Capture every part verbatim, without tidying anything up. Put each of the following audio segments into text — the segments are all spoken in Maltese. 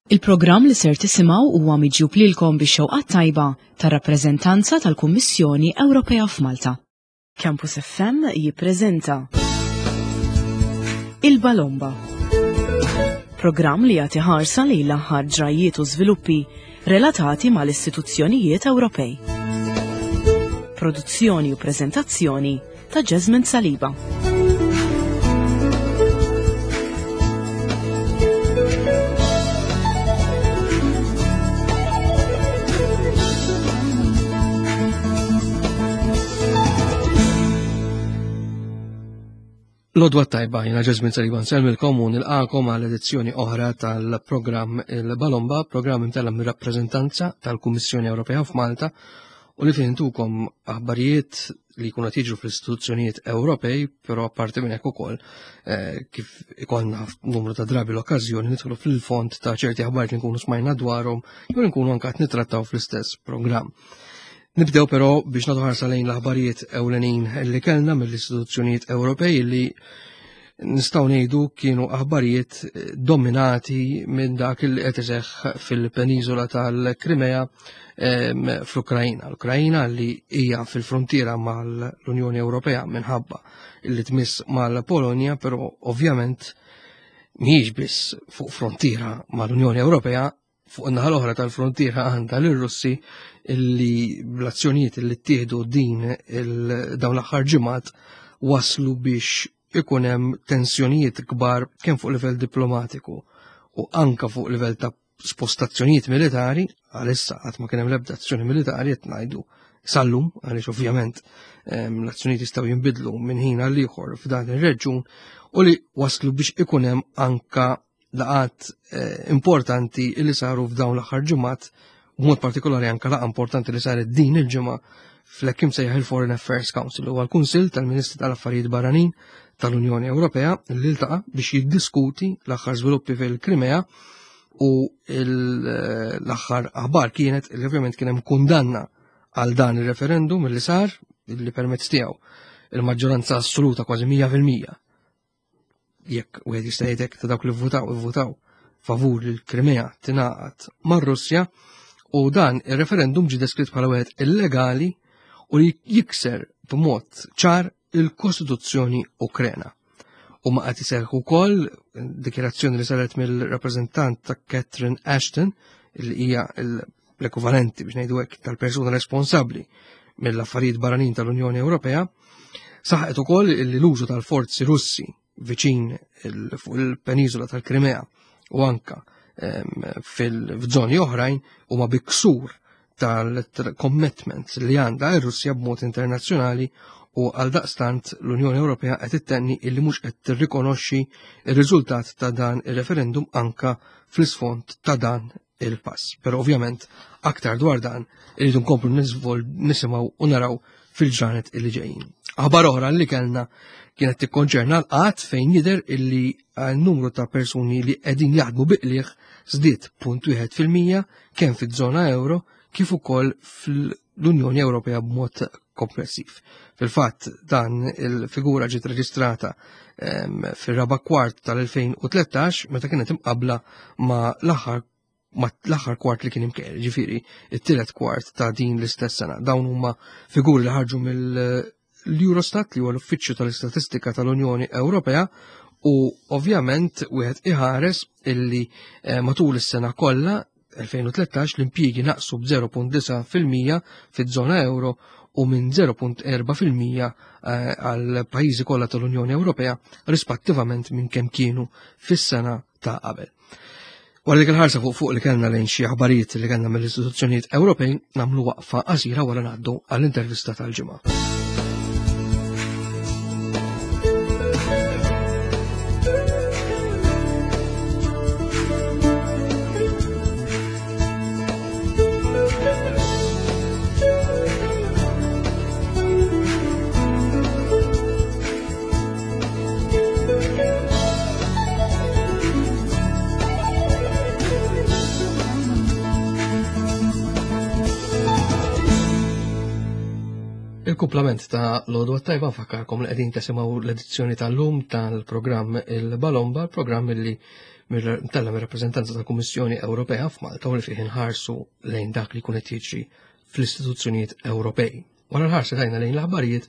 Il-programm li ser tisimgħu huwa miġjub lilkom bix-xewqat tajba tar-rappreżentanza tal-Kummissjoni Ewropea f'Malta. Campus F M jippreżenta Il-Balomba. Programm li jagħti ħarsa lejn l-aħħar ġrajiet u żviluppi relatati mal-istituzzjonijiet Ewropej. Produzzjoni u preżentazzjoni ta' Jasmine Saliba. L-odwa tajba, jina Jasmine Saliba nsellmilkom u nilqakom għal edizzjoni oħra tal-programm Il-Balomba, programm imtella mir-rappreżentanza tal-Kummissjoni Ewropea f'Malta u li fejn intukom aħbarijiet li jkunu qed jiġru fl-istituzzjonijiet Ewropej, però apparti minn hekk ukoll, eh, kif ikollna numru ta' drabi l-okkażjoni nidħlu fil-fond ta' ċerti aħbarijiet li nkunu smajna dwarhom jew li nkunu anke qed nittrattaw fl-istess programm. Nibdew però biex nagħtu ħarsa lejn l-aħbarijiet ewlenin li kellna mill-istituzzjonijiet Ewropej li nistgħu ngħidu kienu aħbarijiet dominati minn dak li qed iseħħ fil-peniżola tal-Krimea, ehm, fl-Ukrajna. L-Ukrajna li hija fil-frontiera mal-Unjoni Ewropea minħabba li tmiss mal-Polonja, però ovvjament mhijiex biss fuq frontiera mal-Unjoni Ewropea, fuq in-naħa l-oħra tal-frontiera għandha lir-Russi illi bl-azzjonijiet li ttieħdu din il-, dawn l-aħħar ġimgħat waslu biex ikun hemm tensjonijiet kbar kemm fuq livell diplomatiku u anka fuq livell ta' spostazzjonijiet militari. Għalissa qatt ma kien hemm l-ebda azzjoni militari qed ngħidu sallum, għaliex ovvjament, ehm, l-azzjonijiet jistgħu jinbidlu minn ħin għal ieħor f'dan ir-reġjun, u li waslu biex ikun hemm anka laqat, eh, importanti li saru f'dawn l-aħħar ġimgħat, b'mod partikolari anka laqgħa importanti li saret din il-ġimgħa fl-hekk imsejjaħ il-Foreign Affairs Council, huwa l-Kunsill tal-Ministri tal-Affarijiet Barranin tal-Unjoni Ewropea li ltaqa' biex jiddiskuti l-aħħar żviluppi fil-Krimea, u il-, l-aħħar aħbar kienet li ovvjament kien hemm kundanna għal dan ir-referendum li sar, li permezz tiegħu il-maġġoranza assoluta kważi mija fil-mija, jekk wieħed jista' jgħidlek ta' dawk li vvutaw, ivvutaw favur li l-Krimea tingħaqad mar-Russja, u dan ir-referendum ġie deskritt bħala wieħed illegali u li jikser b'mod ċar il-Kostituzzjoni Ukrena. U ma qed iseħħ ukoll dikjarazzjoni li saret mill-rappreżentant ta' Catherine Ashton, li hija l-ekwivalenti biex ngħidu hekk tal-persuna responsabbli mill-affarijiet barranin tal-Unjoni Ewropea, saħqet ukoll li l-użu tal-forzi Russi viċin il-, fuq il-peniżola tal-Krimea u anka, ehm, fil-, f'żoni oħrajn huma biksur tal-commitments li għandha r-Russja b'mod internazzjonali, u għal daqstant l-Unjoni Ewropea qed ittenni illi mhux qed tirrikonoxxi r-riżultat ta' dan ir-referendum anka fl-isfond ta' dan il-pass. Però ovvjament aktar dwar dan irridu nkomplu niżvol-, nisimgħu u naraw fil-ġranet illi ġejjin. Aħbar oħra li kellna kienet tikkonċerna l-qgħad, fejn jidher illi n-numru ta' persuni li qegħdin jaħdmu biqliegħ żdied punt wieħed fil-mija kemm fiż-żona euro kif ukoll fl-Unjoni Ewropea b'mod komplessiv. Fil-fatt dan il-figura ġiet reġistrata, ehm, fir-raba' kwart tal-elfejn u tlettax meta kienet imqabbla ma' l-aħħar ma' l-aħħar kwart li kien imkejjel, ġifieri it-tielet kwart ta' din l-istess sena. Dawn huma figuri li ħarġu mill-Eurostat, li huwa l-Uffiċċju tal-Istatistika tal-Unjoni Ewropea, u ovvjament wieħed iħares illi, eh, matul is-sena kollha elfejn u tlettax l-impjiegi naqsu b'zero punt disa' fil-mija fiż-żona euro u minn zero punt erba' fil-mija, eh, għal pajjiżi kollha tal-Unjoni Ewropea rispettivament minn kemm kienu fis-sena ta' qabel. Wara dik il-ħarsa fuq fuq li kellna lejn xi aħbarijiet li kellna mill-istituzzjonijiet Ewropej, nagħmlu waqfa qasira wara ngħaddu għall-intervista tal-ġimgħa. Il-kumplament ta' l-għodwa tajba, nfakkarkom li qegħdin tesimgħu l-edizzjoni tal-lum tal-programm Il-Balomba, l-programm li mtella' mir-rappreżentanza tal-Kummissjoni Ewropea f'Malta u li fih inħarsu lejn dak li jkun qed jiġri fl-istituzzjonijiet Ewropej. Wara l-ħarsa tajna lejn l-aħbarijiet,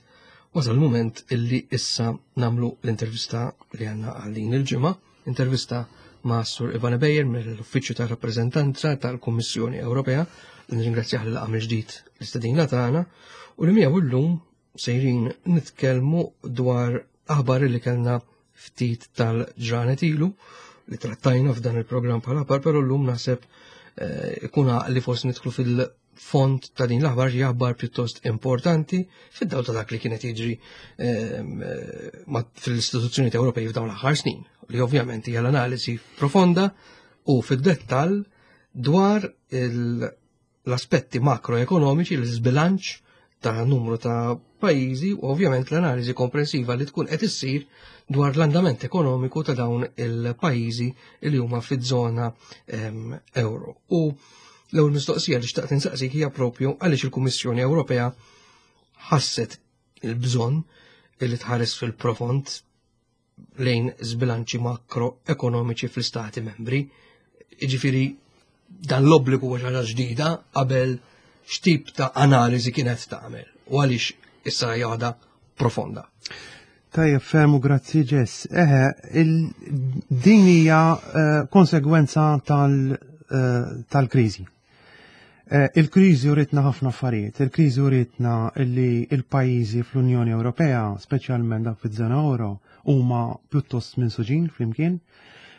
wasal il-mument illi issa nagħmlu l-intervista li għandna għal din il-ġimgħa, intervista ma' Sur Ivan Bejer mill-Uffiċċju ta' Rappreżentanza tal-Kummissjoni Ewropea, li nirringrazzjah li laqa' mill-ġdid l-istedina tagħna u li miegħu llum sejrin nitkellmu dwar aħbar li kellna ftit tal-ġranet ilu li trattajna f'dan il-programm bħala aħbar, però llum naħseb eh, ikun li forsi nidħlu fil-fond ta' din l-aħbar, li aħbar pjuttost importanti fid-dawl ta' dak li kienet jiġri ehm, eh, fil-istituzzjonijiet Ewropej f'dawn l-aħħar snin, li ovvjament hija l-analiżi profonda u fid-dettall dwar l-aspetti makroekonomiċi, l-iżbilanċ ta' numru ta' pajjiżi u ovvjament l-analiżi komprensiva li tkun qed issir dwar l-andament ekonomiku ta' dawn il-pajjiżi li huma fiż-żona euro. U l-ewwel mistoqsija li xtaqt insaqsik hija propju għaliex il-Kummissjoni Ewropea ħasset il-bżonn li tħares fil-profond lejn żbilanċi makroekonomiċi fl-istati membri. Jiġifieri dan l-obbligu huwa ħaġa ġdida, qabel x'tip ta' analiżi kienet tagħmel u għaliex issa hija waħda profonda? Tajjeb, fermu grazzi, Ġess. Eħe, din hija eh, konsegwenza eh, tal-kriżi. Eh, il-kriżi uritna ħafna affarijiet. Il-kriżi uritna li il-pajjiżi fl-Unjoni Ewropea, speċjalment dak fiż-żona euro, huma pjuttost minsuġin flimkien.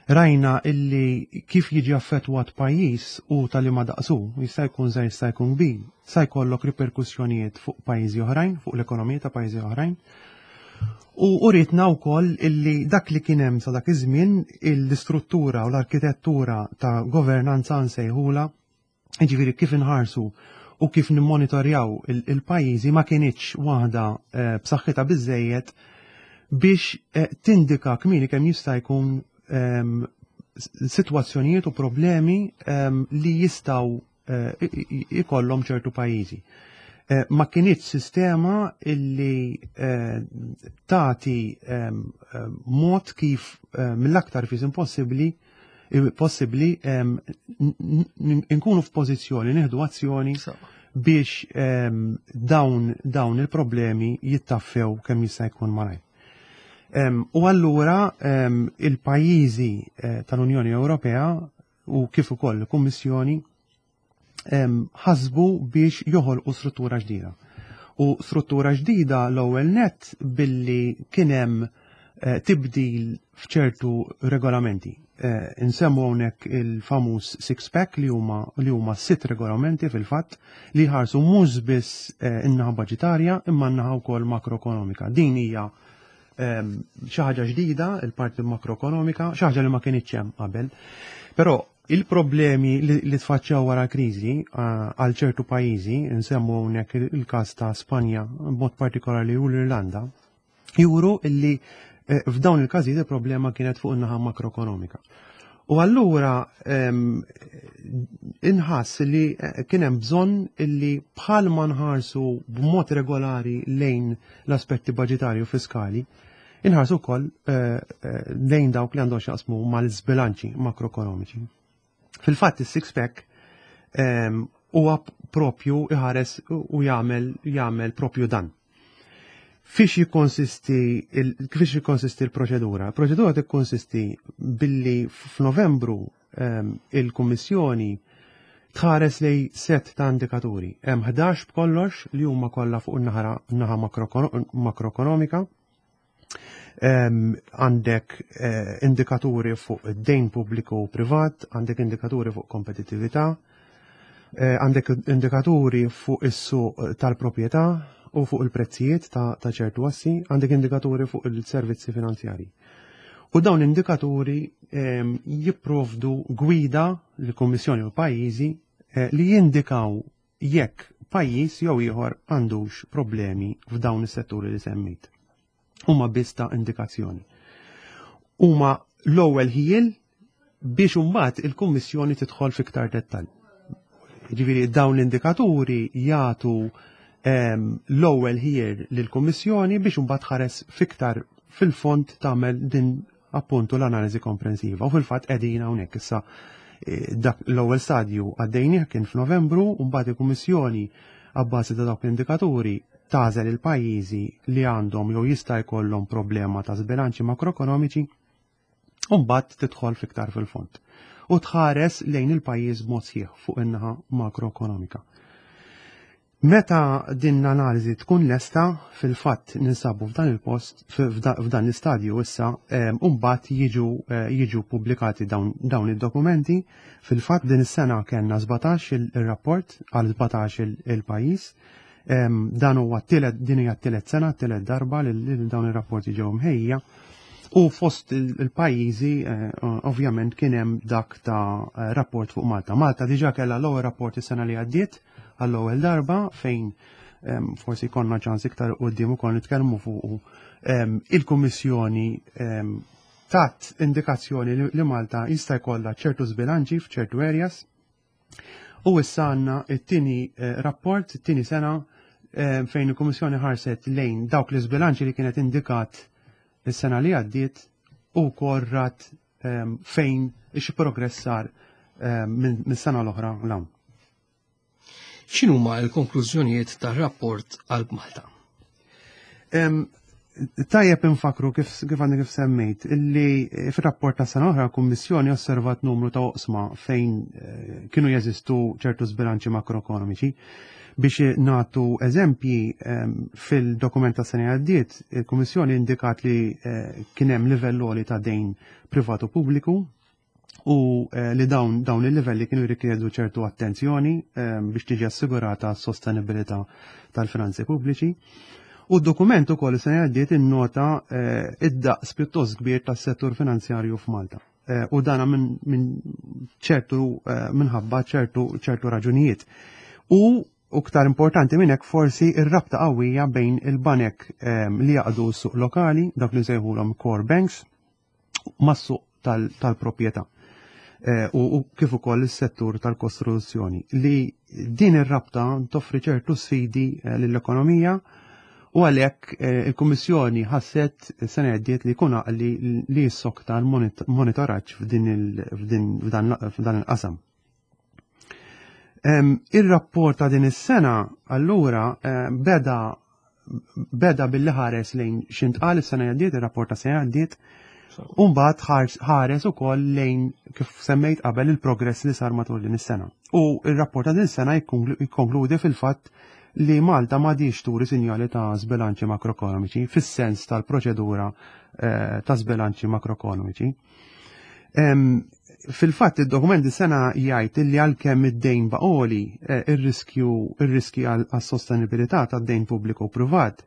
Rajna illi kif jiġi affettwat pajjiż u tal-li daqsu, jista' jkun żgħir, jista' jkun kbir, sa jkollok riperkussjonijiet fuq pajjiżi oħrajn, fuq l-ekonomija ta' pajjiżi oħrajn. U uritna wkoll illi dak li kien hemm sa dak iż-żmien, l-istruttura u l-arkitettura ta' governanza nsejħula, jiġifieri kif inħarsu u kif nimmonitorjaw il-pajjiżi, ma kinitx waħda eh, b'saħħitha biżejjed biex eh, tindika kmieni kemm jista' jkun ehm, sitwazzjonijiet u problemi ehm, li jistgħu eh, ikollhom ċertu pajjiżi. Eh, ma kinitx sistema illi eh, tagħti ehm, mod kif mill-aktar fis impossibbli possibbli nkunu f'pożizzjoni nieħdu azzjoni biex dawn dawn il-problemi jittaffew kemm jista' jkun malajr. U allura il-pajjiżi eh, tal-Unjoni Ewropea u kif ukoll il-Kummissjoni ħasbu biex joħolqu struttura ġdida. U struttura ġdida l-ewwel net billi kien hemm eh, tibdil f'ċertu regolamenti. Eh, insemmu hawnhekk il-famuż six pack, li huma li huma sitt regolamenti fil-fatt li ħarsu mhux biss in-naħa baġitarja imma n-naħa wkoll makroekonomika. Din hija xi ħaġa ġdida, il-parti makroekonomika, xi ħaġa li ma kienx hemm qabel. Però il-problemi li tfaċċaw wara kriżi għal ċertu pajjiżi, nsemmu hawnhekk il-każ ta' Spanja b'mod partikolari u l-Irlanda, juru illi eh, f'dawn il-każijiet il-problema kienet fuq in-naħa makroekonomika. U allura inħass li eh, kien hemm bżonn illi bħal ma nħarsu b'mod regolari lejn l-aspetti baġitarju fiskali, inħarsu wkoll eh, eh, lejn dawk li għandhom x'jaqsmu mal-żbilanċi makroekonomiċi. Fil-fatt is-six pack huwa propju iħares u jagħmel jagħmel propju dan. Fiex jikkonsisti fiex jikkonsisti l-proċedura? Il-proċedura tikkonsisti billi f'Novembru il-Kummissjoni tħares lej set ta' indikaturi. Hemm ħdax b'kollox li huma kollha fuq in-naħa makroekonomika. Għandek eh, indikaturi fuq id-dejn pubbliku u privat, għandek indikaturi fuq kompetittività, eh, għandek indikaturi fuq is-suq tal-proprjetà u fuq il-prezzijiet ta' ċertu assi, għandek indikaturi fuq il-servizzi finanzjari. U dawn indikaturi jipprovdu gwida l-Kummissjoni u pajjiżi eh, li jindikaw jekk pajjiż jew ieħor għandux problemi f'dawn is-setturi li semmejt. Huma biss ta' indikazzjoni. Huma l-ewwel ħiel biex imbagħad il-Kummissjoni tidħol fiktar dettall. Ġifieri dawn l-indikaturi jagħtu l-ewwel ħiel lill-Kummissjoni biex imbagħad ħares fiktar fil-fond, tagħmel din appuntu l-analiżi komprensiva. U fil-fatt qegħdin hawnhekk issa, eh, dak l-ewwel stadju għaddejnieh kien f'Novembru, u mbagħad il-Kummissjoni, abbażi ta' dawk l-indikaturi, tagħżel il-pajjiżi li għandhom jew jista' jkollhom problema ta' żbilanċi makroekonomiċi u mbagħad tidħol fiktar fil-fond u tħares lejn il-pajjiż b'mod sħiħ fuq in-naħa makroekonomika. Meta din l-analiżi tkun lesta, fil-fatt ninsabu f'dan il-post, f'dan l-istadju issa, u mbagħad jiġu eh, jiġu pubblikati dawn, dawn id-dokumenti. Fil-fatt din is-sena kellna sbatax il-rapport għal sbatax il-pajjiż. Dan huwa t-tielet din hija t-tielet sena, t-tielet darba li dawn ir-rapporti ġew mħejja. U fost il-pajjiżi eh, ovvjament kien hemm dak ta' eh, rapport fuq Malta. Malta diġà kellha l-ewwel rapport is-sena li għaddiet għall-ewwel darba, fejn forsi konna ċans iktar quddiem ukoll nitkellmu fuq. Il-Kummissjoni tat indikazzjoni li Malta jista' jkollha ċertu żbilanċi f'ċertu areas. U issa għandna it-tieni eh, rapport, it-tieni sena fejn il-Kummissjoni ħarset lejn dawk l-iżbilanċi li kienet indikat is-sena li għaddiet u korrat fejn xi progress sar minn sena l-oħra 'l hawn. X'inhuma l-konklużjonijiet tar-rapport għal Malta? Tajjeb infakru, kif kif għandi kif semmejt, illi fir-rapport ta' sena oħra kummissjoni osservat numru ta' oqsma fejn eh, kienu jeżistu ċertu żbilanċi makroekonomiċi. Biex nagħtu eżempji, fil-dokument ta' sena għaddiet, il-Kummissjoni indikat li eh, kien hemm livell għoli ta' dejn privatu pubbliku u eh, li dawn dawn il-livelli kienu jirrikjedu ċertu attenzjoni biex tiġi assigurata s-sostenibilità tal-finanzi pubbliċi. U d-dokument ukoll se għaddiet innota eh, id-daqs pjuttost kbir tas-settur finanzjarju f'Malta. Eh, u dana minn ċertu minħabba ċertu ċertu raġunijiet. U iktar importanti minn hekk forsi ir-rabta qawwija bejn il-banek li jaqdu s-suq lokali, dak li nsejħulhom core banks, mas-suq tal-proprjetà. Eh, u kif ukoll is-settur tal-kostruzzjoni, li din ir-rabta toffri ċertu sfidi eh, lill-ekonomija u għalhekk eh, il-Kummissjoni ħasset sena għaddiet li jkun li li jissokta l-monitoraġġ f'dan il-qasam. Ir-rapport ta' din is-sena allura beda beda billi ħares lejn x'intqal is-sena għaddiet, ir-rapport ta' sena għaddiet, u mbagħad ħares ukoll lejn, kif semmejt qabel, il-progress li sar matul din is-sena. U ir-rapport ta' din is-sena jikkonkludi fil-fatt li Malta m'għadix turi sinjali ta' żbilanċi makroekonomiċi fis-sens tal-proċedura eh, ta' żbilanċi makroekonomiċi. Fil-fatt id-dokument sena jgħid li għalkemm id-dejn baqa' għoli, eh, ir-riskju ir-riski għas-sostenibilità tad-dejn pubbliku u privat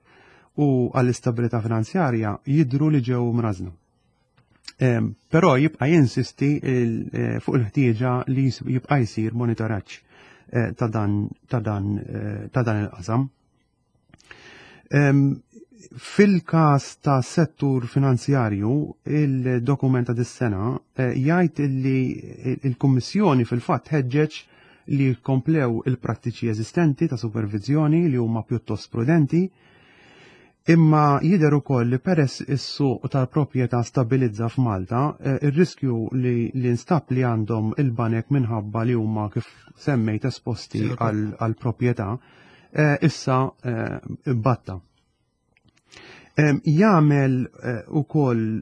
u għall-istabilità finanzjarja jidru li ġew mrażna. Però jibqa' jinsisti eh, fuq il-ħtieġa li jibqa' jsir monitoraġġ eh, ta' dan ta' dan ta' dan il-qasam. Fil-każ ta' settur finanzjarju, il-dokument ta' dis-sena eh, jgħid li il-Kummissjoni fil-fatt ħeġġeġ li komplew il-prattiċi eżistenti ta' supervizjoni li huma pjuttost prudenti, imma jidher ukoll li peress is-suq tal-proprjetà stabilizza f'Malta, eh, ir-riskju li li nstab li għandhom il-banek minħabba li huma, kif semmejt, esposti għal proprjetà, eh, issa batta. Jagħmel eh, ukoll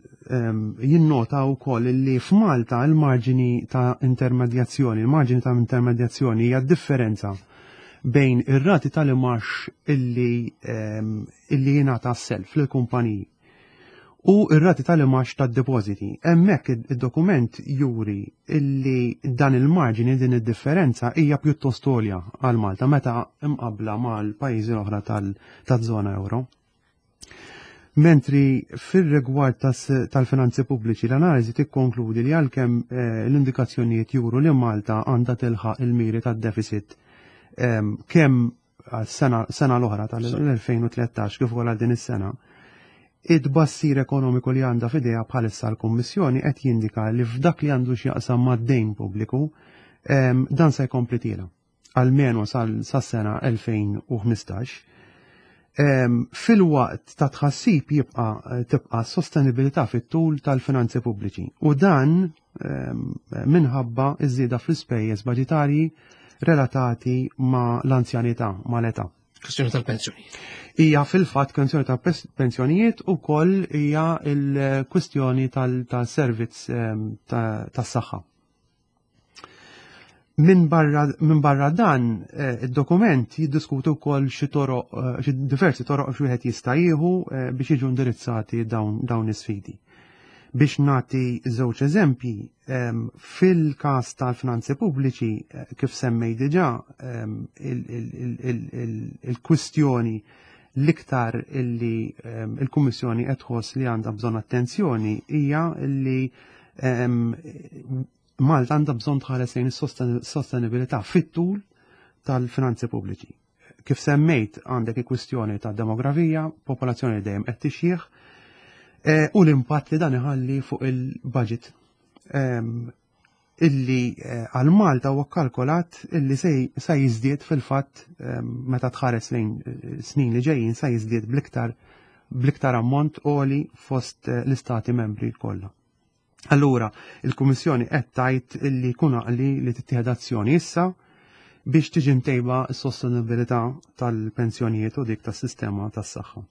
jinnota wkoll li f'Malta il-marġini ta' intermedjazzjoni, il-marġini ta' intermedjazzjoni hija differenza bejn ir-rati tal-imax illi illi jingħata self lill-kumpaniji u ir-rati tal-imax tad-depożiti. Hemmhekk id-dokument juri illi dan il-marġini, din id-differenza hija pjuttost għolja għal Malta meta imqabla mal-pajjiżi l-oħra tal-żona euro. Mentri fil-rigward tal-finanzi pubbliċi, l-analiżi tikkonkludi li għalkemm eh, l-indikazzjonijiet juru li Malta għandha tilħaq il-miri tad-deficit ehm, kemm sena sena l-oħra tal-elfejn u tlettax kif ukoll għal din is-sena, it-tbassir ekonomiku li għandha f'idejha bħalissa l-Kummissjoni qed jindika li f'dak li għandu x'jaqsam mad-dejn pubbliku ehm, dan se jkompli tiela' almenu sas-sena elfejn u ħmistax. Filwaqt ta' tħassib jibqa' tibqa' sostenibilità fit-tul tal-finanzi pubbliċi u dan minħabba iż-żieda fl-ispejjeż baġitarji relatati ma' l-anzjanità, ma' l-età. Kwestjoni tal-pensjonijiet. Hija fil-fatt kwestjoni tal-pensjonijiet u koll hija l-kwestjoni tal-servizz tas-saħħa. Min barra, min barra dan, eh, id-dokument jiddiskutu wkoll xi toroq, eh, xi diversi toroq xi wieħed jista' jieħu eh, biex jiġu indirizzati dawn dawn is-sfidi. Biex nagħti żewġ eżempji, fil-każ tal-finanzi pubbliċi, kif semmej diġà, il-kwistjoni l-iktar illi il-Kummissjoni qed tħoss li għandha bżonn attenzjoni hija illi Malta għandha bżonn tħares lejn is-sostenibilità fit-tul tal-finanzi pubbliċi. Kif semmejt, għandek il-kwistjoni ta' demografija, popolazzjoni li dejjem qed tixjieħ, eh, u l-impatt li dan iħalli fuq il-budget illi eh, għal Malta huwa kalkolat illi se jiżdied fil-fatt meta tħares lejn eh, snin li ġejjin, se jiżdied bl-iktar bl-iktar ammont għoli fost l-istati membri kollha. Allura, il-Kummissjoni qed tgħid illi jkun għaqli li tittieħed azzjoni issa biex tiġi mtejba s-sostenibilità tal-pensjonijiet u dik tas-sistema tas-saħħa.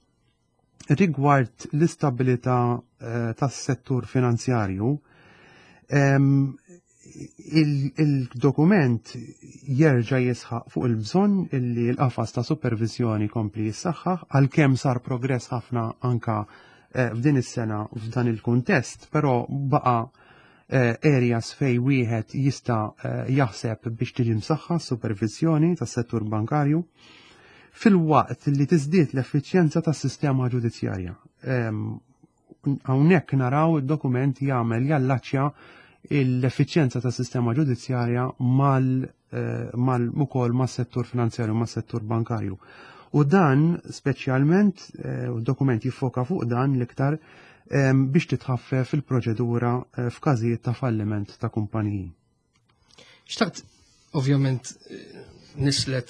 Rigward l-istabilità eh, tas-settur finanzjarju, il-dokument jerġa' jisħaq fuq il-bżonn illi l-qafas ta' supervizjoni kompli jissaħħaħ, għalkemm sar progress ħafna anka eh, f'din is-sena f'dan il-kuntest, però baqa' eh, areas fej wieħed jista' eh, jaħseb biex tiġi msaħħa supervizjoni tas-settur bankarju filwaqt li tiżdied l-effiċjenza tas-sistema ġudizzjarja. Hawnhekk naraw id-dokument jagħmel jallaċċja l-effiċjenza tas-sistema ġudizzjarja mal mal ukoll mas-settur finanzjarju, mas-settur bankarju. U dan speċjalment u dokument jiffoka fuq dan l-iktar biex titħaffef il-proċedura eh, f'każijiet ta' falliment ta' kumpaniji. Xtaqt, ovvjament, nislet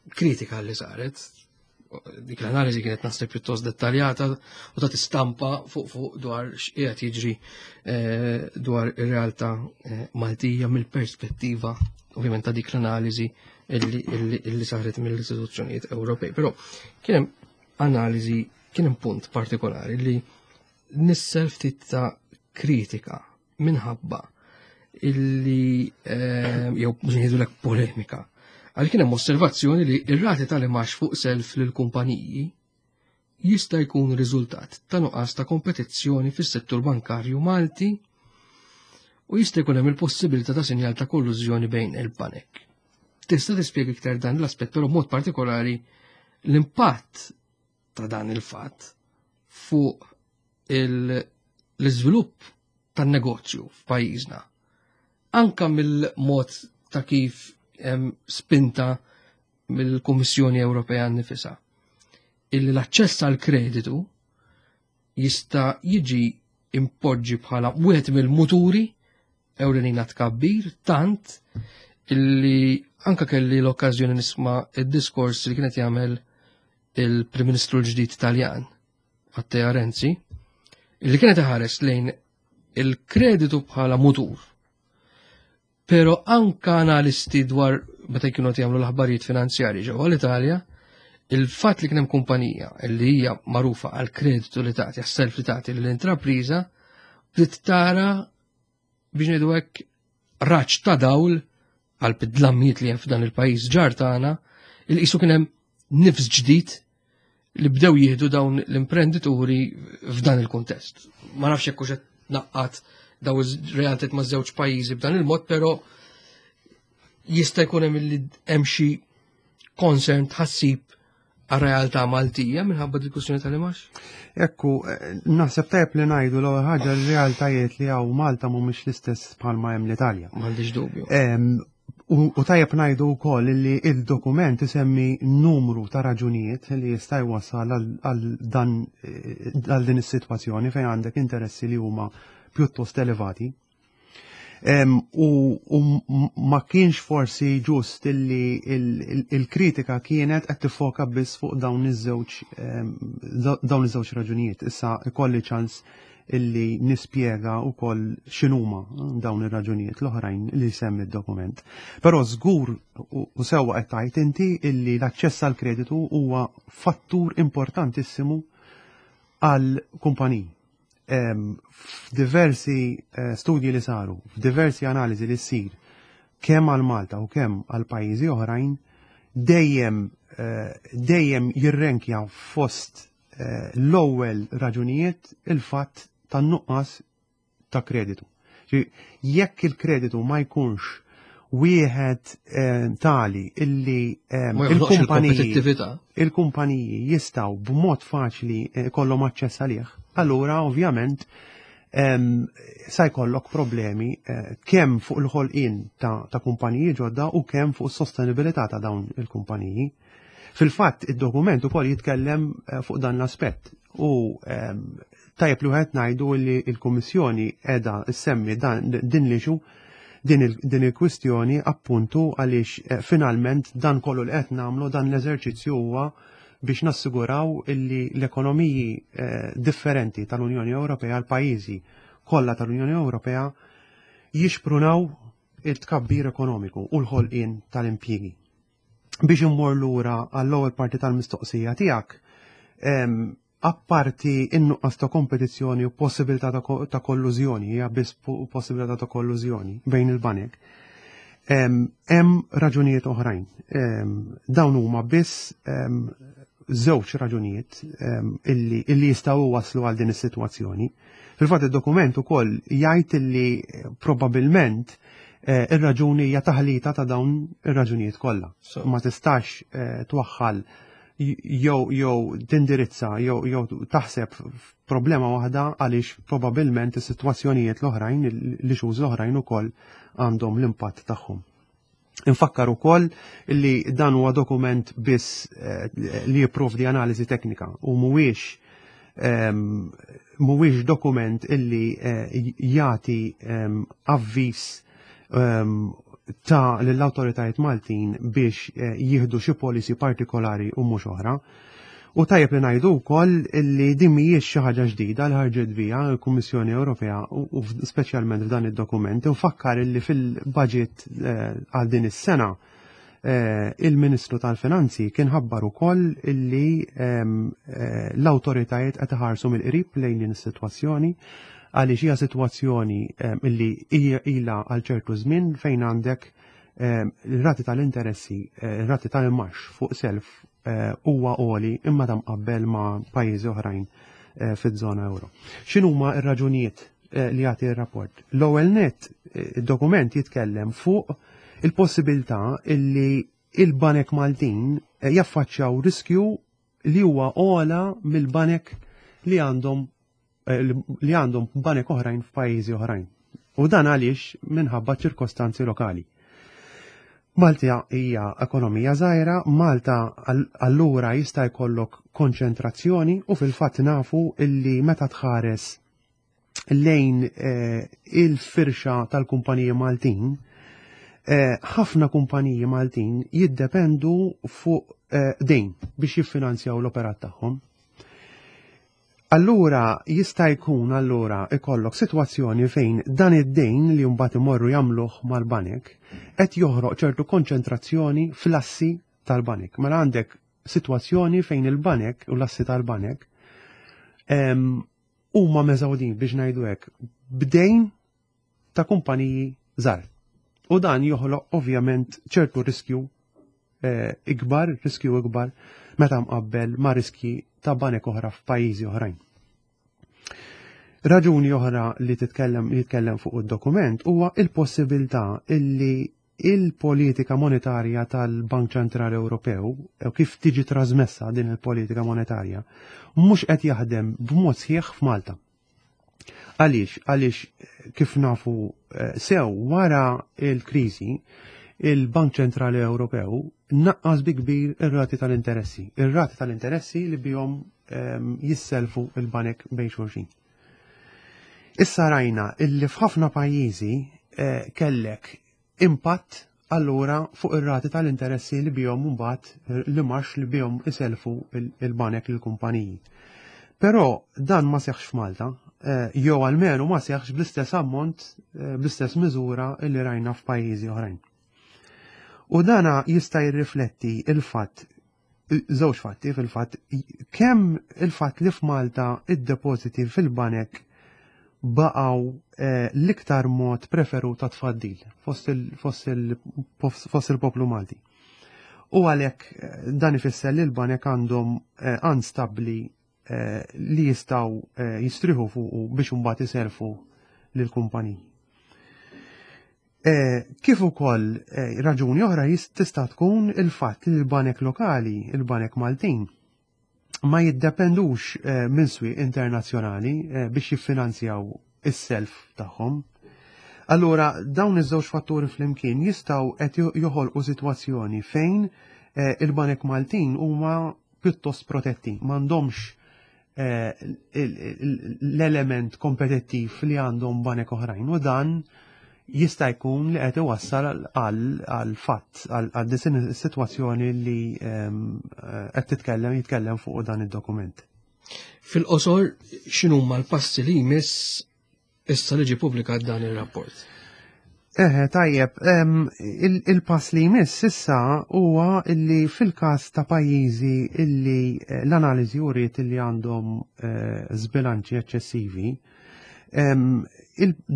kritika li saret, dik l-analiżi kienet naħseb pjuttost dettaljata u ta' stampa fuq fuq dwar x'qiegħed jiġri eh, dwar ir-realtà eh, Maltija mill-perspettiva ovvjament ta' dik l-analiżi illi, illi, illi saret mill-istituzzjonijiet Ewropej. Però kien hemm analiżi, kien hemm punt partikolari li nissel ftit ta' kritika minħabba illi eh, jew biex ngħidulek polemika. Għal kien hemm osservazzjoni li ir-rati tal-imax fuq self lil kumpaniji jista' jkun riżultat ta' nuqqas ta' kompetizzjoni fis-settur bankarju Malti u jista' jkun hemm il-possibilità ta' sinjal ta' kollużjoni bejn il-banek. Tista' tispjega iktar dan l-aspett, però b'mod partikolari l-impatt ta' dan il-fatt fuq l-iżvilupp tan-negozju f'pajjiżna. Anka mill-mod ta' kif hemm spinta mill-Kummissjoni Ewropea nnifisha. Illi l-aċċess għal kreditu jista' jiġi impoġġi bħala wieħed mill-muturi ewlenin tkabbir, tant illi anka kelli l-okkażjoni nisma' id-diskors li kienet jagħmel il-Prim Ministru l-ġdid Taljan, Matteo Renzi, illi kienet iħares lejn il-kreditu bħala mutur. Pero anka analisti dwar meta jkunu qed jagħmlu l-aħbarijiet finanzjarji ġewwa l-Italja, il-fatt li kien hemm kumpanija li hija magħrufa għal kreditu li tagħti, għas-self li tagħti lill-intrapriża, bdiet tara biex ngħidu hekk raġġ ta' dawl għal bidlammijiet li hemm f'dan il-pajjiż ġar tagħna, il qisu kien hemm nifs ġdid li bdew jieħdu dawn l-imprendituri f'dan il-kuntest. Ma nafx jekk hux qed naqqat daw ir-realtajiet ma' żewġ pajjiżi b'dan il-mod, però jista' jkun hemm li hemm xi concern, tħassib għar-realtà Maltija minħabba diskussjoni tal-imax? Ekku, eh, naħseb tajb li ngħidu l-ewwel ħaġa, r-realtajiet li hawn Malta mhumiex l-istess bħalma hemm l-Italja. M'għandix dubju. Em, U u tajjeb ngħidu wkoll li il-dokument isemmi numru ta' raġunijiet li jista' jwassal għal dan għal din is-sitwazzjoni fejn għandek interessi li huma pjuttost elevati. U, u ma kienx forsi ġust illi il-kritika kienet qed tiffoka biss fuq dawn iż-żewġ dawn iż-żewġ raġunijiet. Issa ikolli ċans illi nispjega wkoll x'inhuma dawn ir-raġunijiet l-oħrajn li semmi d-dokument. Però żgur u sewwa qed tgħid inti illi l-aċċess għal kreditu huwa fattur importantissimu għal kumpaniji. F'diversi eh, studji li saru, f'diversi analiżi li ssir kemm għal Malta u kemm għal pajjiżi oħrajn, dejjem eh, dejjem jirrenkja fost eh, l-ewwel raġunijiet il-fatt tan-nuqqas ta' kreditu. Jekk il-kreditu ma jkunx wieħed eh, tali illi eh, il-kumpaniji il-kumpaniji jistgħu b'mod faċli eh, kollhom aċċess għalih, allura ovvjament sa jkollok problemi kemm fuq il-ħolqien ta', ta kumpaniji ġodda u kemm fuq is-sostenibilità ta' dawn il-kumpaniji. Fil-fatt id-dokument ukoll jitkellem fuq dan l-aspett u tajjeb li wieħed ngħidu li l-Kummissjoni qiegħda ssemmi din l-issue, din il-kwistjoni appuntu għaliex finalment dan kollu li qed nagħmlu, dan l-eżerċizzju huwa biex nassiguraw illi l-ekonomiji differenti tal-Unjoni Ewropea, l-pajjiżi kollha tal-Unjoni Ewropea jixprunaw il-tkabbir ekonomiku u l-ħolqien tal-impjiegi. Biex immur lura għall-ewwel parti tal-mistoqsija tiegħek, apparti in-nuqqas ta' kompetizzjoni u possibilità ta' kollużjoni, hija biss possibilità ta' kollużjoni bejn il-banek, hemm raġunijiet oħrajn. Dawn huma biss żewġ raġunijiet illi, illi jistgħu waslu għal din is-sitwazzjoni. Fil-fatt id-dokument ukoll jgħid illi probabbilment ir-raġuni hija taħlita ta' dawn ir-raġunijiet kollha. Ma tistax twaħħal jew jew tindirizza jew jew taħseb f'problema waħda għaliex probabbilment is-sitwazzjonijiet l-oħrajn, l-issues l-oħrajn ukoll għandhom l-impatt tagħhom. Infakkar ukoll li dan huwa dokument biss li jipprovdi analiżi teknika u mhuwiex mhuwiex dokument illi jagħti avviż ta' lill-awtoritajiet Maltin biex jieħdu xi policy partikolari u mhux oħra. U tajjeb li ngħidu wkoll illi din mhijiex xi ħaġa ġdida li ħarġet biha l-Kummissjoni Ewropea u speċjalment f'dan id-dokument. Infakkar illi fil-budget għal din is-sena il-Ministru tal-Finanzi kien ħabbar ukoll illi l-awtoritajiet qed iħarsu mill-qrib lejn din is-sitwazzjoni għaliex hija sitwazzjoni illi hija ilha għal ċertu żmien fejn għandek ir-rati tal-interessi, ir-rati tal-imgħax fuq self huwa għoli imma ta' mqabbel ma' pajjiżi oħrajn fiż-żona euro. X'inhuma r-raġunijiet li jagħti r-rapport? L-ewwel net, id-dokument jitkellem fuq il-possibilità illi il-banek Maltin jaffaċċjaw riskju li huwa ogħla mill-banek li għandhom li għandhom banek oħrajn f'pajjiżi oħrajn. U dan għaliex minħabba ċirkostanzi lokali. Malta hija ekonomija żgħira, Malta allura jista' jkollok konċentrazzjoni u fil-fatt nafu illi meta tħares lejn il-firxa tal-kumpaniji Maltin, ħafna kumpaniji Maltin jiddependu fuq dejn biex jiffinanzjaw l-operat tagħhom. Allura jista' jkun allura ikollok sitwazzjoni fejn dan id-dejn li mbagħad imorru jagħmluh mal-banek qed joħroq ċertu konċentrazzjoni fl-assi tal-banek. Mela għandek sitwazzjoni fejn il-banek u l-assi tal-banek huma meżawdin biex ngħidu hekk b'dejn ta' kumpaniji żgħar. U dan joħloq ovvjament ċertu riskju ikbar, riskju ikbar meta mqabbel ma' riskji ta' banek oħra f'pajjiżi oħrajn. Raġuni oħra li titkellem jitkellem fuq id-dokument huwa il-possibilità illi il-politika monetarja tal-Bank Ċentrali Ewropew u kif tiġi trasmessa din il-politika monetarja mhux qed jaħdem b'mod sħiħ f'Malta. Għaliex? Għaliex kif nafu sew wara il-kriżi il-Bank Ċentrali Ewropew naqqas bi kbir ir-rati tal-interessi. Ir-rati tal-interessi li bihom jisselfu il-banek bejn xulxin. Issa rajna illi f'ħafna pajjiżi eh, kellek impatt allura fuq ir-rati tal-interessi li bihom mbagħad li marx li bihom iselfu il-banek lill-kumpaniji. Però dan ma seħħx f'Malta, eh, jew almenu ma seħħx bl-istess ammont, eh, bl-istess miżura li rajna f'pajjiżi oħrajn. U dana jista' jirrifletti il-fatt, żewġ fatti fil-fatt, kemm il-fatt li f'Malta id-depożiti fil-banek baqgħu eh, l-iktar mod preferut ta' tfaddil fost il-poplu Malti. U għalhekk eh, dan ifisser li l-banek għandhom għan stabbli li jistgħu jistriħu fuqu biex imbagħad iserfu lill-kumpaniji. Kif ukoll raġuni oħra tista' tkun il-fatt li l-banek lokali, il-banek Maltin, ma jiddependux minn swieq internazzjonali biex jiffinanzjaw is-self tagħhom. Allura dawn iż-żewġ fatturi flimkien jistgħu qed joħolqu sitwazzjoni fejn il-banek Maltin huma pjuttost protetti, m'għandhomx l-element kompetittiv li għandhom banek oħrajn, u dan jista' jkun li qed iwassal għal fatt għal din is-sitwazzjoni li qed titkellem jitkellem fuq dan id-dokument. Fil-qosor, x'inhuma l-passi li jmiss issa li ġie ppubblikat dan ir-rapport? Eħe, tajjeb, il-pass li jmiss issa huwa illi fil-każ ta' pajjiżi illi l-analiżi uriet illi għandhom żbilanċi eċċessivi,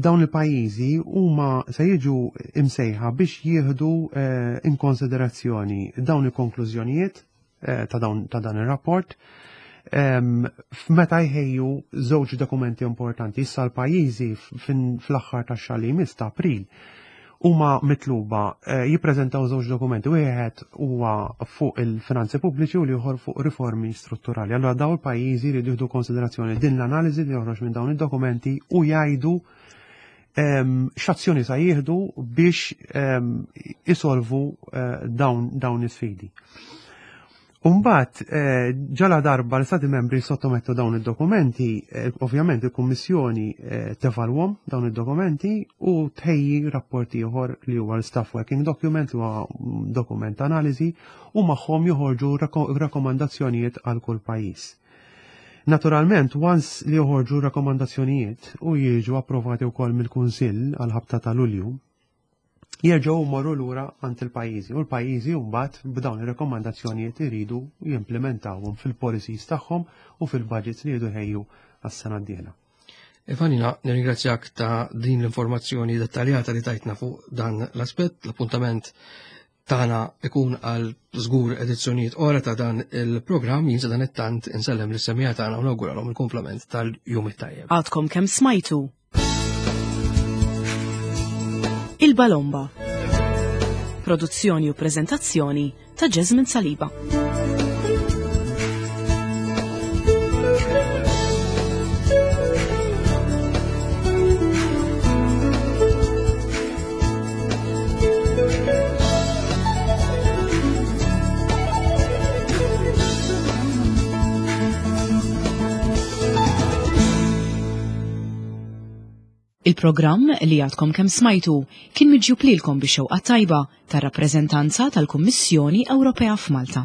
dawn il-pajjiżi huma se jiġu imsejħa biex jieħdu in konsiderazzjoni dawn il-konklużjonijiet ta' dan ir-rapport meta jħejju żewġ dokumenti importanti. Issa l-pajjiżi fl-aħħar tax-xahar li jmiss ta' April huma mitluba jippreżentaw żewġ dokumenti, wieħed huwa fuq il-finanzi pubbliċi u l-ieħor fuq riformi strutturali. Allura dawn il-pajjiżi jridu jieħdu konsiderazzjoni din l-analiżi li joħroġ minn dawn id-dokumenti u jgħidu x'azzjoni sa jieħdu biex isolvu dawn is-sfidi. Umbat, ġala darba l-Stati membri sottomettu dawn id-dokumenti, ovvjament il-Kummissjoni tevalwhom dawn id-dokumenti u tħejji rapporti ieħor li huwa l-Staff Working Document, li huwa dokument analiżi, u magħhom joħorġu rakkomandazzjonijiet għal kull pajjiż. Naturalment, once li joħorġu rakkomandazzjonijiet u jiġu approvati wkoll mill-Kunsill għal ħabta ta' Lulju, jerġgħu jmorru lura għand il-pajjiżi u l-pajjiżi mbagħad b'dawn ir-rakkomandazzjonijiet iridu jimplementawhom fil-policies tagħhom u fil-budgets li jridu jħejju għas-sena d-dieħla. Evanina, nirringrazzjak ta' din l-informazzjoni dettaljata li tajtna fuq dan l-aspett. L-appuntament tagħna ikun għal żgur edizzjonijiet oħra ta' dan il-programm. Jien dan it-tant insellem lis-semmiegħa tagħna u nawguralhom il-kumplament tal-jum it-tajjeb. Għadkom kemm smajtu Il-Balomba. Produzzjoni u prezentazzjoni ta' Jasmine Saliba. Il-programm li għadkom kemm smajtu kien miġjub lilkom bix-xewqa tajba tar-rappreżentanza tal-Kummissjoni Ewropea f'Malta.